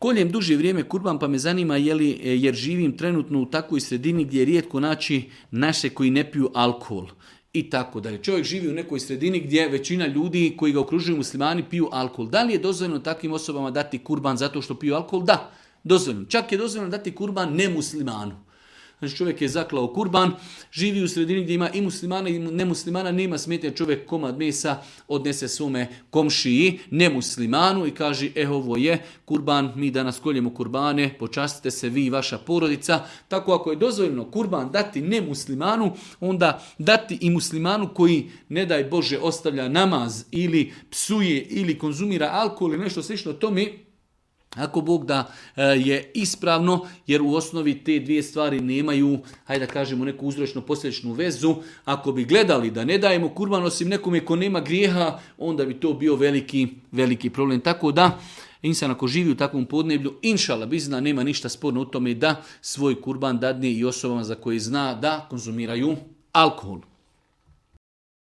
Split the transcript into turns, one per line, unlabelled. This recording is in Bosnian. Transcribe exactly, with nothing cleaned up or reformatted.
Koljem duže vrijeme kurban, pa me zanima je li, jer živim trenutno u takvoj sredini gdje je rijetko naći naše koji ne piju alkohol. I tako dalje. Čovjek živi u nekoj sredini gdje većina ljudi koji ga okružuju muslimani piju alkohol. Da li je dozvoljeno takvim osobama dati kurban zato što piju alkohol? Da, dozvoljeno. Čak je dozvoljeno dati kurban nemuslimanu. Znači čovjek je zaklao kurban, živi u sredini gdje ima i muslimana i nemuslimana, nema smetnje, čovjek komad mesa odnese svome komšiji, nemuslimanu i kaže, e ovo je kurban, mi danas koljemo kurbane, počastite se vi i vaša porodica. Tako ako je dozvoljeno kurban dati nemuslimanu, onda dati i muslimanu koji, ne daj Bože, ostavlja namaz ili psuje ili konzumira alkohol ili nešto slično tome, ako Bog da je ispravno, jer u osnovi te dvije stvari nemaju, hajde da kažemo, neku uzročno-posljedičnu vezu. Ako bi gledali da ne dajemo kurban osim nekome ko nema grijeha, onda bi to bio veliki, veliki problem. Tako da, insan ako živi u takvom podneblju, inšala bizna, nema ništa sporno u tome da svoj kurban dadne i osobama za koje zna da konzumiraju alkohol.